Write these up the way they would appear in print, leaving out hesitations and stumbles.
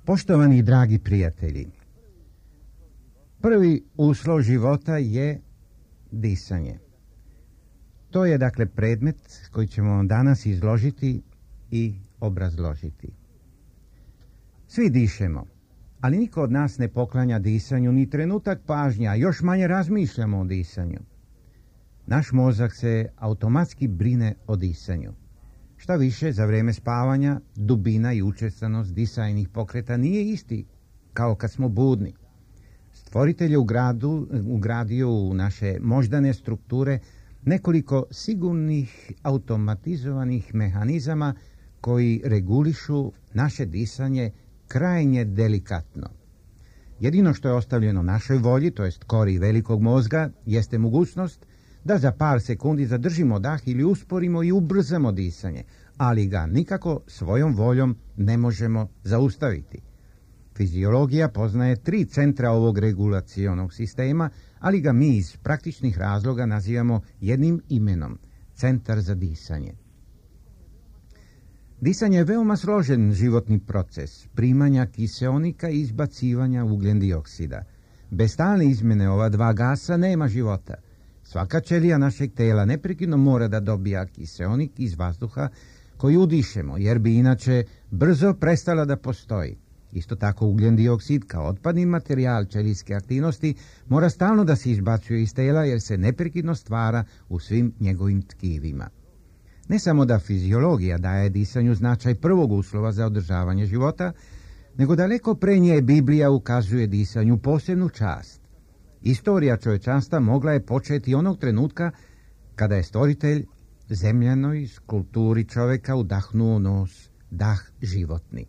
Poštovani dragi prijatelji, prvi uslov života je disanje. To je dakle predmet koji ćemo vam danas izložiti i obrazložiti. Svi dišemo, ali niko od nas ne poklanja disanju ni trenutak pažnja, a još manje razmišljamo o disanju. Naš mozak se automatski brine o disanju. Šta više, za vrijeme spavanja dubina i učestanost disajnih pokreta nije isti kao kad smo budni. Stvoritelj je ugradio u naše moždane strukture nekoliko sigurnih automatizovanih mehanizama koji regulišu naše disanje krajnje delikatno. Jedino što je ostavljeno našoj volji, to jest kori velikog mozga, jeste mogućnost da za par sekundi zadržimo dah ili usporimo i ubrzamo disanje, ali ga nikako svojom voljom ne možemo zaustaviti. Fiziologija poznaje 3 centra ovog regulacionog sistema, ali ga mi iz praktičnih razloga nazivamo jednim imenom – centar za disanje. Disanje je veoma složen životni proces primanja kiseonika i izbacivanja ugljen dioksida. Bez stalne izmjene ova 2 gasa nema života. Svaka ćelija našeg tela neprekidno mora da dobija kiseonik iz vazduha koji udišemo, jer bi inače brzo prestala da postoji. Isto tako ugljen dioksid kao otpadni materijal ćelijske aktivnosti mora stalno da se izbacuje iz tela jer se neprekidno stvara u svim njegovim tkivima. Ne samo da fiziologija daje disanju značaj prvog uslova za održavanje života, nego daleko pre nje Biblija ukazuje disanju posebnu čast. Istorija čovječanstva mogla je početi onog trenutka kada je stvoritelj zemljanoj skulpturi čovjeka udahnuo nos, dah životni.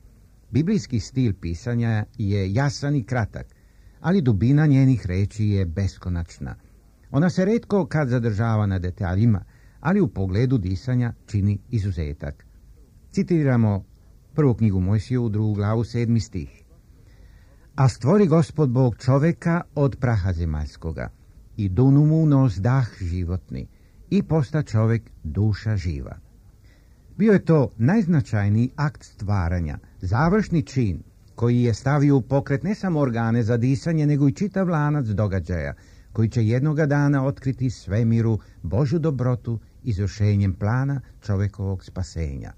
Biblijski stil pisanja je jasan i kratak, ali dubina njenih reči je beskonačna. Ona se retko kad zadržava na detaljima, ali u pogledu disanja čini izuzetak. Citiramo prvu knjigu Mojsijevu, 2. glavu, 7. stih. A stvori Gospod Bog čoveka od praha zemaljskoga i dunu mu u nos dah životni i posta čovek duša živa. Bio je to najznačajniji akt stvaranja, završni čin koji je stavio u pokret ne samo organe za disanje, nego i čitav lanac događaja koji će jednoga dana otkriti svemiru Božju dobrotu izvršenjem plana čovekovog spasenja.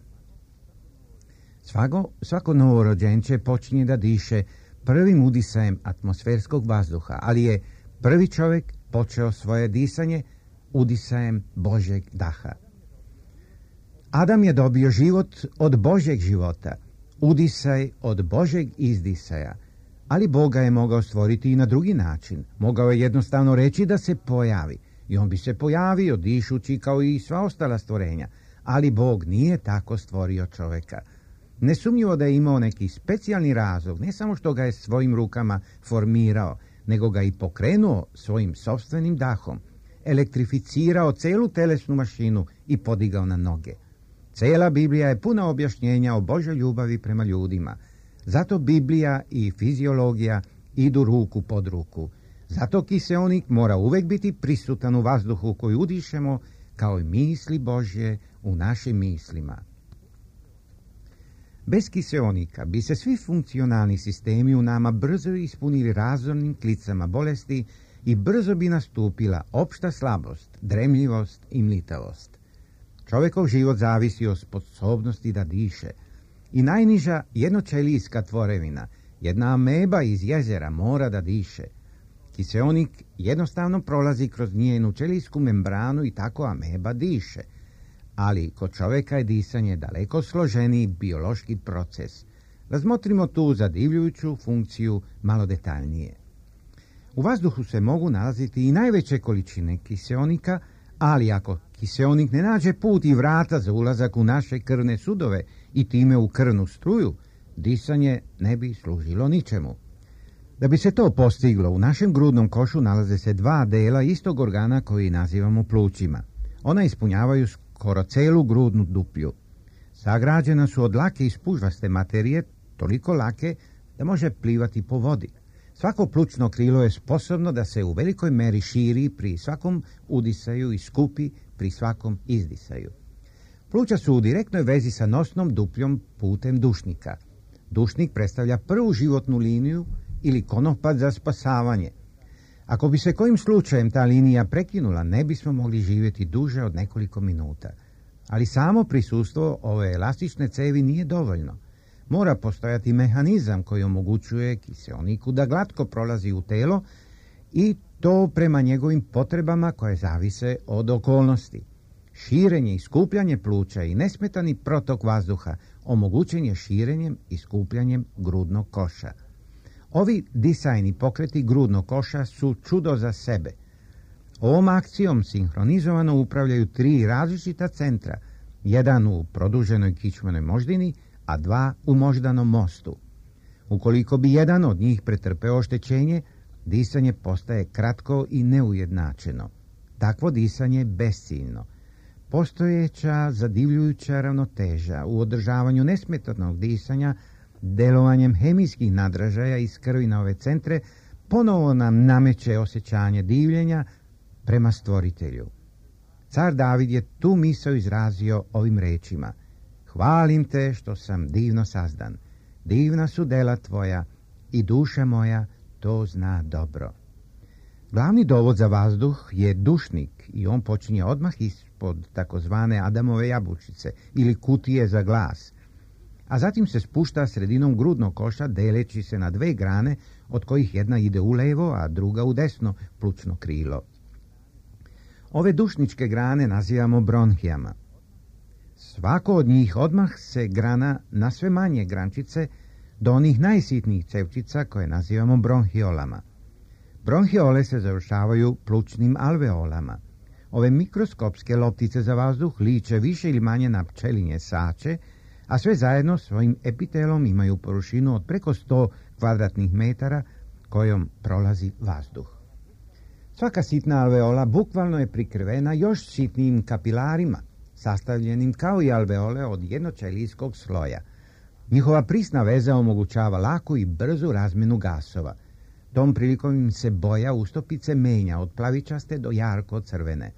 Svako novorođenče počinje da diše prvim udisajem atmosferskog vazduha, ali je prvi čovjek počeo svoje disanje udisajem Božjeg daha. Adam je dobio život od Božjeg života, udisaj od Božjeg izdisaja, ali Boga je mogao stvoriti i na drugi način. Mogao je jednostavno reći da se pojavi i on bi se pojavio dišući kao i sva ostala stvorenja, ali Bog nije tako stvorio čovjeka. Nesumnjivo da je imao neki specijalni razlog, ne samo što ga je svojim rukama formirao, nego ga i pokrenuo svojim sopstvenim dahom, elektrificirao celu telesnu mašinu i podigao na noge. Cela Biblija je puna objašnjenja o Božoj ljubavi prema ljudima. Zato Biblija i fiziologija idu ruku pod ruku. Zato kiseonik mora uvek biti prisutan u vazduhu koji udišemo, kao i misli Božje u našim mislima. Bez kiseonika bi se svi funkcionalni sistemi u nama brzo ispunili razornim klicama bolesti i brzo bi nastupila opšta slabost, dremljivost i mlitavost. Čovjekov život zavisi od sposobnosti da diše. I najniža jednoćelijska tvorevina, jedna ameba iz jezera, mora da diše. Kiseonik jednostavno prolazi kroz njenu ćelijsku membranu i tako ameba diše. Ali kod čovjeka je disanje daleko složeniji biološki proces. Razmotrimo tu zadivljujuću funkciju malo detaljnije. U vazduhu se mogu nalaziti i najveće količine kiseonika, Ali ako kiseonik ne nađe put i vrata za ulazak u naše krvne sudove i time u krvnu struju, disanje ne bi služilo ničemu. Da bi se to postiglo, u našem grudnom košu nalaze se dva dela istog organa koji nazivamo plućima. Ona ispunjavaju skoro celu grudnu duplju. Sagrađena su od lake i spužvaste materije, toliko lake da može plivati po vodi. Svako plućno krilo je sposobno da se u velikoj meri širi pri svakom udisaju i skupi pri svakom izdisaju. Pluća su u direktnoj vezi sa nosnom dupljom putem dušnika. Dušnik predstavlja prvu životnu liniju ili konopac za spasavanje. Ako bi se kojim slučajem ta linija prekinula, ne bismo mogli živjeti duže od nekoliko minuta. Ali samo prisustvo ove elastične cevi nije dovoljno. Mora postojati mehanizam koji omogućuje kiseoniku da glatko prolazi u telo i to prema njegovim potrebama koje zavise od okolnosti. Širenje i skupljanje pluća i nesmetani protok vazduha omogućen je širenjem i skupljanjem grudnog koša. Ovi disajni pokreti grudnog koša su čudo za sebe. Ovom akcijom sinhronizovano upravljaju 3 različita centra, jedan u produženoj kičmenoj moždini, a 2 u moždanom mostu. Ukoliko bi jedan od njih pretrpeo oštećenje, disanje postaje kratko i neujednačeno. Takvo disanje je besciljno. Postojeća zadivljujuća ravnoteža u održavanju nesmetanog disanja delovanjem hemijskih nadražaja iz krvi na ove centre ponovo nam nameće osjećanje divljenja prema stvoritelju. Car David je tu misao izrazio ovim rečima: hvalim te što sam divno sazdan, divna su dela tvoja i duša moja to zna dobro. Glavni dovod za vazduh je dušnik i on počinje odmah ispod takozvane Adamove jabučice ili kutije za glas, a zatim se spušta sredinom grudnog koša deleći se na 2 grane, od kojih jedna ide u levo, a druga u desno plućno krilo. Ove dušničke grane nazivamo bronhijama. Svako od njih odmah se grana na sve manje grančice do onih najsitnijih cevčica koje nazivamo bronhiolama. Bronhiole se završavaju plućnim alveolama. Ove mikroskopske loptice za vazduh liče više ili manje na pčelinje sače, a sve zajedno svojim epitelom imaju površinu od preko 100 kvadratnih metara kojom prolazi vazduh. Svaka sitna alveola bukvalno je prikrivena još sitnijim kapilarima, sastavljenim kao i alveole od jednoćelijskog sloja. Njihova prisna veza omogućava laku i brzu razmjenu gasova. Tom prilikom im se boja ustopice menja od plavičaste do jarko crvene.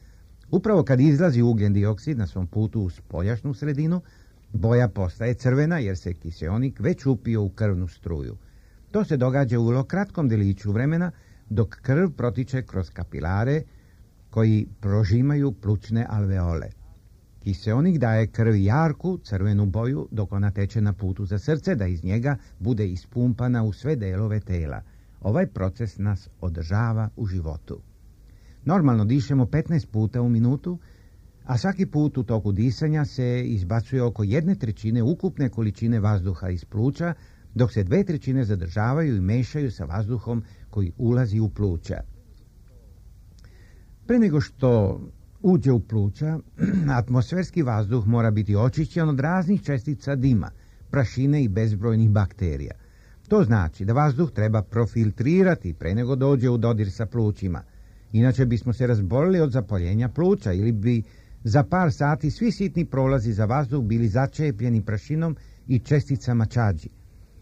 Upravo kad izlazi ugljen dioksid na svom putu u spoljašnju sredinu, boja postaje crvena jer se kiseonik već upio u krvnu struju. To se događa u vrlo kratkom deliću vremena, dok krv protiče kroz kapilare koji prožimaju plućne alveole. Kiseonik daje krvi jarku, crvenu boju, dok ona teče na putu za srce, da iz njega bude ispumpana u sve delove tela. Ovaj proces nas održava u životu. Normalno dišemo 15 puta u minutu, a svaki put u toku disanja se izbacuje oko 1/3 ukupne količine vazduha iz pluća, dok se 2/3 zadržavaju i mešaju sa vazduhom koji ulazi u pluća. Pre nego što uđe u pluća, atmosferski vazduh mora biti očišćen od raznih čestica dima, prašine i bezbrojnih bakterija. To znači da vazduh treba profiltrirati pre nego dođe u dodir sa plućima. Inače bismo se razbolili od zapaljenja pluća ili bi za par sati svi sitni prolazi za vazduh bili začepljeni prašinom i česticama čađi.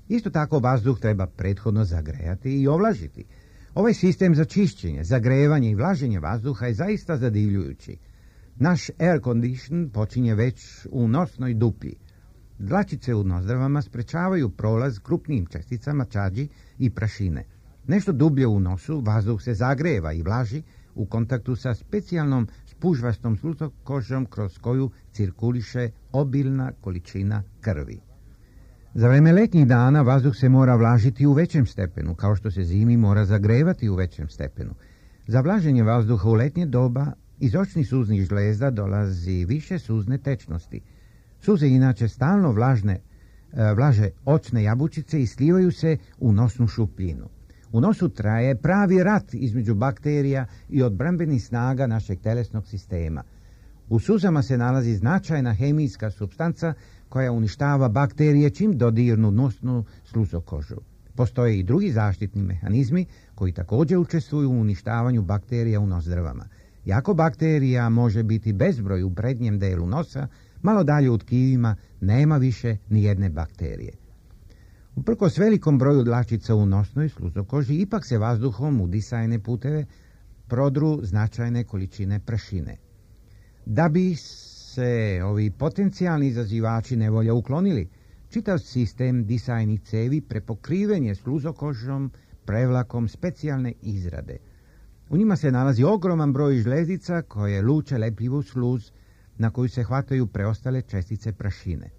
Isto tako vazduh treba prethodno zagrejati i ovlažiti. Ovaj sistem za čišćenje, zagrevanje i vlaženje vazduha je zaista zadivljujući. Naš air condition počinje već u nosnoj duplji. Dlačice u nozdravama sprečavaju prolaz krupnijim česticama čađi i prašine. Nešto dublje u nosu vazduh se zagreva i vlaži u kontaktu sa specijalnom spužvastom slutokožom kroz koju cirkuliše obilna količina krvi. Za vreme letnjih dana vazduh se mora vlažiti u većem stepenu, kao što se zimi mora zagrevati u većem stepenu. Za vlaženje vazduha u letnje doba iz očnih suznih žlezda dolazi više suzne tečnosti. Suze inače stalno vlaže očne jabučice i slivaju se u nosnu šupljinu. U nosu traje pravi rat između bakterija i odbrambenih snaga našeg telesnog sistema. U suzama se nalazi značajna hemijska supstanca koja uništava bakterije čim dodirnu nosnu sluzokožu. Postoje i drugi zaštitni mehanizmi koji također učestvuju u uništavanju bakterija u nozdrvama. Iako bakterija može biti bezbroj u prednjem delu nosa, malo dalje u tkivima nema više ni jedne bakterije. Uprkos velikom broju dlačica u nosnoj sluzokoži, ipak se vazduhom u disajne puteve prodru značajne količine prašine. Da bi se ovi potencijalni izazivači nevolja uklonili, čitav sistem disajnih cevi prepokriven je sluzokožom prevlakom specijalne izrade. U njima se nalazi ogroman broj žlezdica koje luče lepljivu sluz na koju se hvataju preostale čestice prašine.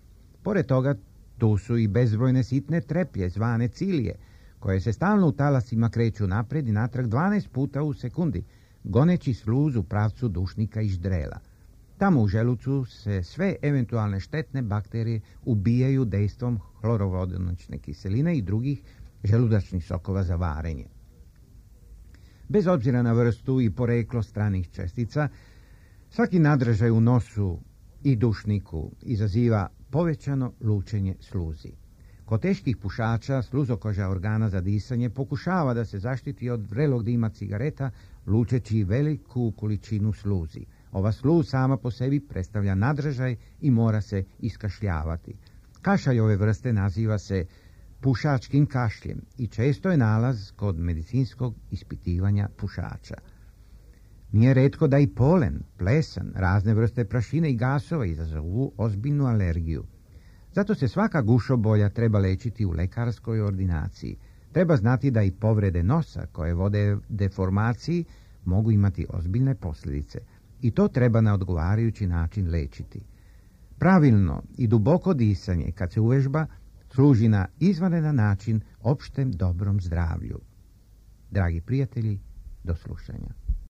Pored toga, tu su i bezbrojne sitne treplje zvane cilije, koje se stalno u talasima kreću napred i natrag 12 puta u sekundi, goneći sluz u pravcu dušnika i ždrela. Tamo u želucu se sve eventualne štetne bakterije ubijaju dejstvom hlorovodonične kiseline i drugih želudačnih sokova za varenje. Bez obzira na vrstu i poreklo stranih čestica, svaki nadražaj u nosu i dušniku izaziva povećano lučenje sluzi. Kod teških pušača sluzokoža organa za disanje pokušava da se zaštiti od vrelog dima cigareta lučeći veliku količinu sluzi. Ova sluz sama po sebi predstavlja nadražaj i mora se iskašljavati. Kašalj ove vrste naziva se pušačkim kašljem i često je nalaz kod medicinskog ispitivanja pušača. Nije retko da i polen, plesan, razne vrste prašine i gasova izazovu ozbiljnu alergiju. Zato se svaka gušobolja treba lečiti u lekarskoj ordinaciji. Treba znati da i povrede nosa koje vode deformaciji mogu imati ozbiljne posljedice i to treba na odgovarajući način lečiti. Pravilno i duboko disanje kad se uvežba služi na izvanredan način opštem dobrom zdravlju. Dragi prijatelji, do slušanja.